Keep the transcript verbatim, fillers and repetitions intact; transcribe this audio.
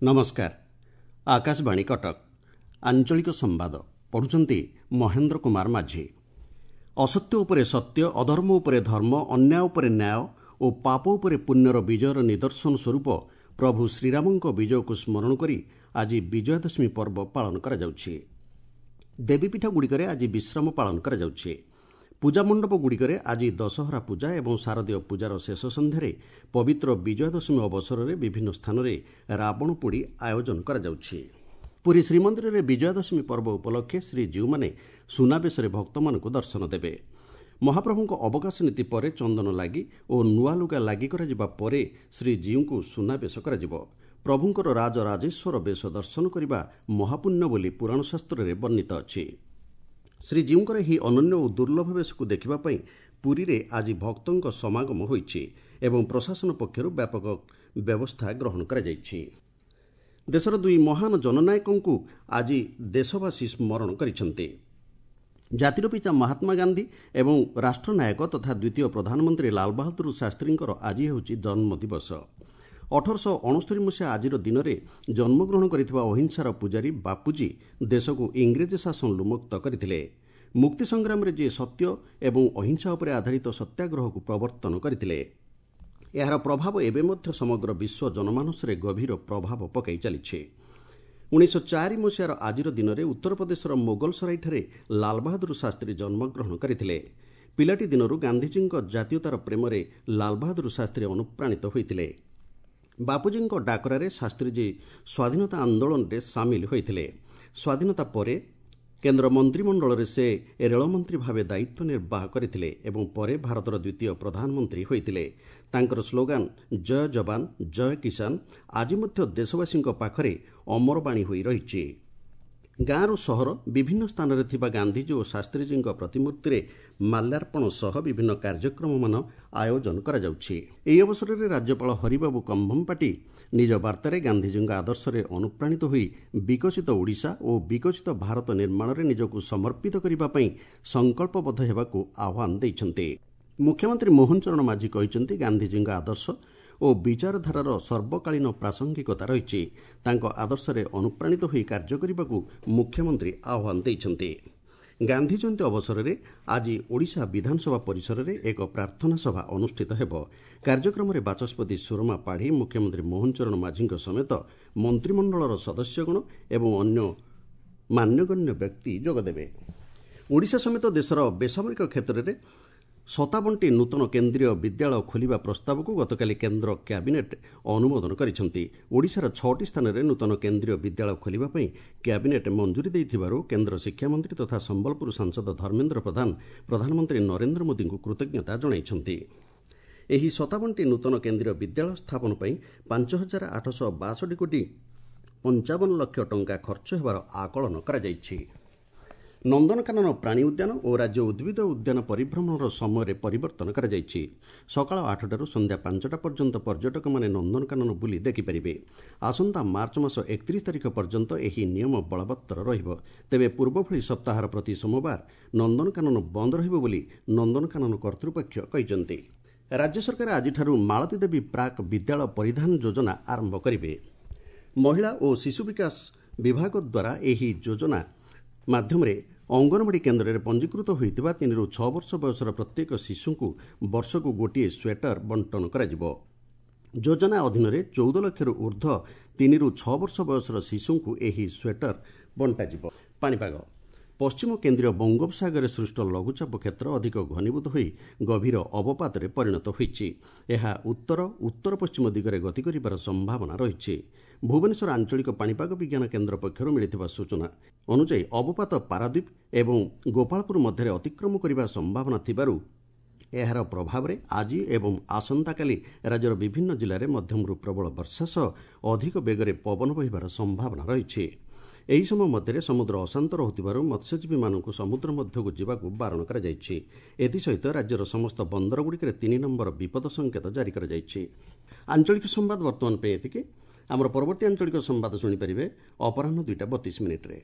ନମସ୍କାର, ଆକାଶବାଣୀ କଟକ, ଆଞ୍ଚଳିକ ସମ୍ବାଦ ପଢୁଛନ୍ତି ମହେନ୍ଦ୍ର କୁମାର ମାଝୀ। ଅସତ୍ୟ ଉପରେ ସତ୍ୟ, ଅଧର୍ମ ଉପରେ ଧର୍ମ, ଅନ୍ୟାୟ ଉପରେ ନ୍ୟାୟ ଓ ପାପ ଉପରେ ପୁଣ୍ୟର ବିଜୟର ନିଦର୍ଶନ ସ୍ୱରୂପ ପ୍ରଭୁ ଶ୍ରୀରାମଙ୍କ ବିଜୟକୁ ସ୍ମରଣ କରି ଆଜି ବିଜୟାଦଶମୀ ପର୍ବ ପାଳନ କରାଯାଉଛି। ଦେବୀପୀଠଗୁଡ଼ିକରେ ଆଜି ବିଶ୍ରାମ ପାଳନ କରାଯାଉଛି। ପୂଜା ମଣ୍ଡପଗୁଡ଼ିକରେ ଆଜି ଦଶହରା ପୂଜା ଏବଂ ଶାରଦୀୟ ପୂଜାର ଶେଷ ସନ୍ଧ୍ୟାରେ ପବିତ୍ର ବିଜୟାଦଶମୀ ଅବସରରେ ବିଭିନ୍ନ ସ୍ଥାନରେ ରାବଣ ପୋଡ଼ି ଆୟୋଜନ କରାଯାଉଛି। ପୁରୀ ଶ୍ରୀମନ୍ଦିରରେ ବିଜୟାଦଶମୀ ପର୍ବ ଉପଲକ୍ଷେ ଶ୍ରୀଜୀଉମାନେ ସୁନାବେଶରେ ଭକ୍ତମାନଙ୍କୁ ଦର୍ଶନ ଦେବେ। ମହାପ୍ରଭୁଙ୍କ ଅବକାଶ ନୀତି ପରେ ଚନ୍ଦନ ଲାଗି ଓ ନୂଆ ଲୁଗା ଲାଗି କରାଯିବା ପରେ ଶ୍ରୀଜୀଉଙ୍କୁ ସୁନାବେଶ କରାଯିବ। ପ୍ରଭୁଙ୍କର ରାଜରାଜେଶ୍ୱର ବେଶ ଦର୍ଶନ କରିବା ମହାପୁଣ୍ୟ ବୋଲି ପୁରାଣ ଶାସ୍ତ୍ରରେ ବର୍ଣ୍ଣିତ ଅଛି। ଶ୍ରୀଜୀଉଙ୍କର ଏହି ଅନନ୍ୟ ଓ ଦୁର୍ଲଭ ବେଶକୁ ଦେଖିବା ପାଇଁ ପୁରୀରେ ଆଜି ଭକ୍ତଙ୍କ ସମାଗମ ହୋଇଛି ଏବଂ ପ୍ରଶାସନ ପକ୍ଷରୁ ବ୍ୟାପକ ବ୍ୟବସ୍ଥା ଗ୍ରହଣ କରାଯାଇଛି। ଦେଶର ଦୁଇ ମହାନ ଜନନାୟକଙ୍କୁ ଆଜି ଦେଶବାସୀ ସ୍ମରଣ କରିଛନ୍ତି। ଜାତିର ପିତା ମହାତ୍ମା ଗାନ୍ଧୀ ଏବଂ ରାଷ୍ଟ୍ରନାୟକ ତଥା ଦ୍ୱିତୀୟ ପ୍ରଧାନମନ୍ତ୍ରୀ ଲାଲବାହାଦୁର ଶାସ୍ତ୍ରୀଙ୍କର ଆଜି ହେଉଛି ଜନ୍ମଦିବସ। ଅଠରଶହ ଅଣସ୍ତରୀ ମସିହା ଆଜିର ଦିନରେ ଜନ୍ମଗ୍ରହଣ କରିଥିବା ଅହିଂସାର ପୂଜାରୀ ବାପୁଜୀ ଦେଶକୁ ଇଂରେଜ ଶାସନରୁ ମୁକ୍ତ କରିଥିଲେ। ମୁକ୍ତି ସଂଗ୍ରାମରେ ଯିଏ ସତ୍ୟ ଏବଂ ଅହିଂସା ଉପରେ ଆଧାରିତ ସତ୍ୟାଗ୍ରହକୁ ପ୍ରବର୍ତ୍ତନ କରିଥିଲେ, ଏହାର ପ୍ରଭାବ ଏବେ ମଧ୍ୟ ସମଗ୍ର ବିଶ୍ୱ ଜନମାନସରେ ଗଭୀର ପ୍ରଭାବ ପକାଇ ଚାଲିଛି। ଉଣେଇଶହ ଚାରି ମସିହାର ଆଜିର ଦିନରେ ଉତ୍ତରପ୍ରଦେଶର ମୋଗଲସରାଇଠାରେ ଲାଲବାହାଦୁର ଶାସ୍ତ୍ରୀ ଜନ୍ମଗ୍ରହଣ କରିଥିଲେ। ପିଲାଟି ଦିନରୁ ଗାନ୍ଧିଜୀଙ୍କ ଜାତୀୟତାର ପ୍ରେମରେ ଲାଲବାହାଦୁର ଶାସ୍ତ୍ରୀ ଅନୁପ୍ରାଣିତ ହୋଇଥିଲେ। ବାପୁଜୀଙ୍କ ଡାକରାରେ ଶାସ୍ତ୍ରୀଜୀ ସ୍ୱାଧୀନତା ଆନ୍ଦୋଳନରେ ସାମିଲ ହୋଇଥିଲେ। ସ୍ୱାଧୀନତା ପରେ କେନ୍ଦ୍ର ମନ୍ତ୍ରିମଣ୍ଡଳରେ ସେ ରେଳମନ୍ତ୍ରୀ ଭାବେ ଦାୟିତ୍ୱ ନିର୍ବାହ କରିଥିଲେ ଏବଂ ପରେ ଭାରତର ଦ୍ୱିତୀୟ ପ୍ରଧାନମନ୍ତ୍ରୀ ହୋଇଥିଲେ। ତାଙ୍କର ସ୍ଲୋଗାନ ଜୟ ଯବାନ ଜୟ କିଷାନ ଆଜି ମଧ୍ୟ ଦେଶବାସୀଙ୍କ ପାଖରେ ଅମରବାଣୀ ହୋଇ ରହିଛି। ଗାଁରୁ ସହର ବିଭିନ୍ନ ସ୍ଥାନରେ ଥିବା ଗାନ୍ଧିଜୀ ଓ ଶାସ୍ତ୍ରୀଜୀଙ୍କ ପ୍ରତିମୂର୍ତ୍ତିରେ ମାଲ୍ୟାର୍ପଣ ସହ ବିଭିନ୍ନ କାର୍ଯ୍ୟକ୍ରମମାନ ଆୟୋଜନ କରାଯାଉଛି। ଏହି ଅବସରରେ ରାଜ୍ୟପାଳ ହରିବାବୁ କମ୍ଭମପାଟି ନିଜ ବାର୍ତ୍ତାରେ ଗାନ୍ଧିଜୀଙ୍କ ଆଦର୍ଶରେ ଅନୁପ୍ରାଣିତ ହୋଇ ବିକଶିତ ଓଡ଼ିଶା ଓ ବିକଶିତ ଭାରତ ନିର୍ମାଣରେ ନିଜକୁ ସମର୍ପିତ କରିବା ପାଇଁ ସଂକଳ୍ପବଦ୍ଧ ହେବାକୁ ଆହ୍ୱାନ ଦେଇଛନ୍ତି। ମୁଖ୍ୟମନ୍ତ୍ରୀ ମୋହନ ଚରଣ ମାଝୀ କହିଛନ୍ତି, ଗାନ୍ଧିଜୀଙ୍କ ଆଦର୍ଶ ଓ ବିଚାରଧାରାର ସର୍ବକାଳୀନ ପ୍ରାସଙ୍ଗିକତା ରହିଛି। ତାଙ୍କ ଆଦର୍ଶରେ ଅନୁପ୍ରାଣିତ ହୋଇ କାର୍ଯ୍ୟ କରିବାକୁ ମୁଖ୍ୟମନ୍ତ୍ରୀ ଆହ୍ୱାନ ଦେଇଛନ୍ତି। ଗାନ୍ଧୀ ଜୟନ୍ତୀ ଅବସରରେ ଆଜି ଓଡ଼ିଶା ବିଧାନସଭା ପରିସରରେ ଏକ ପ୍ରାର୍ଥନା ସଭା ଅନୁଷ୍ଠିତ ହେବ। କାର୍ଯ୍ୟକ୍ରମରେ ବାଚସ୍ପତି ସୁରମା ପାଢ଼ୀ, ମୁଖ୍ୟମନ୍ତ୍ରୀ ମୋହନ ଚରଣ ମାଝୀଙ୍କ ସମେତ ମନ୍ତ୍ରିମଣ୍ଡଳର ସଦସ୍ୟଗଣ ଏବଂ ଅନ୍ୟ ମାନ୍ୟଗଣ୍ୟ ବ୍ୟକ୍ତି ଯୋଗଦେବେ। ଓଡ଼ିଶା ସମେତ ଦେଶର ବେସାମରିକ କ୍ଷେତ୍ରରେ ସତାବନଟି ନୂତନ କେନ୍ଦ୍ରୀୟ ବିଦ୍ୟାଳୟ ଖୋଲିବା ପ୍ରସ୍ତାବକୁ ଗତକାଲି କେନ୍ଦ୍ର କ୍ୟାବିନେଟ୍ ଅନୁମୋଦନ କରିଛନ୍ତି। ଓଡ଼ିଶାର ଛଅଟି ସ୍ଥାନରେ ନୂତନ କେନ୍ଦ୍ରୀୟ ବିଦ୍ୟାଳୟ ଖୋଲିବା ପାଇଁ କ୍ୟାବିନେଟ୍ ମଞ୍ଜୁରୀ ଦେଇଥିବାରୁ କେନ୍ଦ୍ର ଶିକ୍ଷାମନ୍ତ୍ରୀ ତଥା ସମ୍ବଲପୁର ସାଂସଦ ଧର୍ମେନ୍ଦ୍ର ପ୍ରଧାନ ପ୍ରଧାନମନ୍ତ୍ରୀ ନରେନ୍ଦ୍ର ମୋଦିଙ୍କୁ କୃତଜ୍ଞତା ଜଣାଇଛନ୍ତି। ଏହି ସତାବନଟି ନୂତନ କେନ୍ଦ୍ରୀୟ ବିଦ୍ୟାଳୟ ସ୍ଥାପନ ପାଇଁ ପାଞ୍ଚ ହଜାର ଆଠଶହ ବାଷଠି କୋଟି ପଞ୍ଚାବନ ଲକ୍ଷ ଟଙ୍କା ଖର୍ଚ୍ଚ ହେବାର ଆକଳନ କରାଯାଇଛି। ନନ୍ଦନକାନନ ପ୍ରାଣୀ ଉଦ୍ୟାନ ଓ ରାଜ୍ୟ ଉଦ୍ଭିଦ ଉଦ୍ୟାନ ପରିଭ୍ରମଣର ସମୟରେ ପରିବର୍ତ୍ତନ କରାଯାଇଛି। ସକାଳ ଆଠଟାରୁ ସନ୍ଧ୍ୟା ପାଞ୍ଚଟା ପର୍ଯ୍ୟନ୍ତ ପର୍ଯ୍ୟଟକମାନେ ନନ୍ଦନକାନନ ବୁଲି ଦେଖିପାରିବେ। ଆସନ୍ତା ମାର୍ଚ୍ଚ ମାସ ଏକତିରିଶ ତାରିଖ ପର୍ଯ୍ୟନ୍ତ ଏହି ନିୟମ ବଳବତ୍ତର ରହିବ। ତେବେ ପୂର୍ବଭଳି ସପ୍ତାହର ପ୍ରତି ସୋମବାର ନନ୍ଦନକାନନ ବନ୍ଦ ରହିବ ବୋଲି ନନ୍ଦନକାନନ କର୍ତ୍ତୃପକ୍ଷ କହିଛନ୍ତି। ରାଜ୍ୟ ସରକାର ଆଜିଠାରୁ ମାଳତୀ ଦେବୀ ପ୍ରାକ୍ ବିଦ୍ୟାଳୟ ପରିଧାନ ଯୋଜନା ଆରମ୍ଭ କରିବେ। ମହିଳା ଓ ଶିଶୁ ବିକାଶ ବିଭାଗ ଦ୍ୱାରା ଏହି ଯୋଜନା ମାଧ୍ୟମରେ ଅଙ୍ଗନବାଡ଼ି କେନ୍ଦ୍ରରେ ପଞ୍ଜୀକୃତ ହୋଇଥିବା ତିନିରୁ ଛଅ ବର୍ଷ ବୟସର ପ୍ରତ୍ୟେକ ଶିଶୁଙ୍କୁ ବର୍ଷକୁ ଗୋଟିଏ ସ୍ୱେଟର ବଣ୍ଟନ କରାଯିବ। ଯୋଜନା ଅଧୀନରେ ଚଉଦ ଲକ୍ଷରୁ ଉର୍ଦ୍ଧ୍ୱ ତିନିରୁ ଛଅ ବର୍ଷ ବୟସର ଶିଶୁଙ୍କୁ ଏହି ସ୍ୱେଟର ବଣ୍ଟାଯିବ। ପାଣିପାଗ ପଶ୍ଚିମ କେନ୍ଦ୍ରୀୟ ବଙ୍ଗୋପସାଗରରେ ସୃଷ୍ଟ ଲଘୁଚାପ କ୍ଷେତ୍ର ଅଧିକ ଘନୀଭୂତ ହୋଇ ଗଭୀର ଅବପାତରେ ପରିଣତ ହୋଇଛି। ଏହା ଉତ୍ତର ଉତ୍ତର ପଶ୍ଚିମ ଦିଗରେ ଗତି କରିବାର ସମ୍ଭାବନା ରହିଛି। ଭୁବନେଶ୍ୱର ଆଞ୍ଚଳିକ ପାଣିପାଗ ବିଜ୍ଞାନ କେନ୍ଦ୍ର ପକ୍ଷରୁ ମିଳିଥିବା ସୂଚନା ଅନୁଯାୟୀ ଅବପାତ ପାରାଦ୍ୱୀପ ଏବଂ ଗୋପାଳପୁର ମଧ୍ୟରେ ଅତିକ୍ରମ କରିବା ସମ୍ଭାବନା ଥିବାରୁ ଏହାର ପ୍ରଭାବରେ ଆଜି ଏବଂ ଆସନ୍ତାକାଲି ରାଜ୍ୟର ବିଭିନ୍ନ ଜିଲ୍ଲାରେ ମଧ୍ୟମରୁ ପ୍ରବଳ ବର୍ଷା ସହ ଅଧିକ ବେଗରେ ପବନ ବହିବାର ସମ୍ଭାବନା ରହିଛି। ଏହି ସମୟ ମଧ୍ୟରେ ସମୁଦ୍ର ଅଶାନ୍ତ ରହୁଥିବାରୁ ମତ୍ସ୍ୟଜୀବୀମାନଙ୍କୁ ସମୁଦ୍ର ମଧ୍ୟକୁ ଯିବାକୁ ବାରଣ କରାଯାଇଛି। ଏଥିସହିତ ରାଜ୍ୟର ସମସ୍ତ ବନ୍ଦରଗୁଡ଼ିକରେ ତିନି ନମ୍ବର ବିପଦ ସଙ୍କେତ ଜାରି କରାଯାଇଛି। ଆଞ୍ଚଳିକ ସମ୍ବାଦ ବର୍ତ୍ତମାନ ପାଇଁ ଏତିକି। ଆମର ପରବର୍ତ୍ତୀ ଆଞ୍ଚଳିକ ସମ୍ବାଦ ଶୁଣିପାରିବେ ଅପରାହ୍ନ ଦୁଇଟା ବତିଶ ମିନିଟ୍ରେ।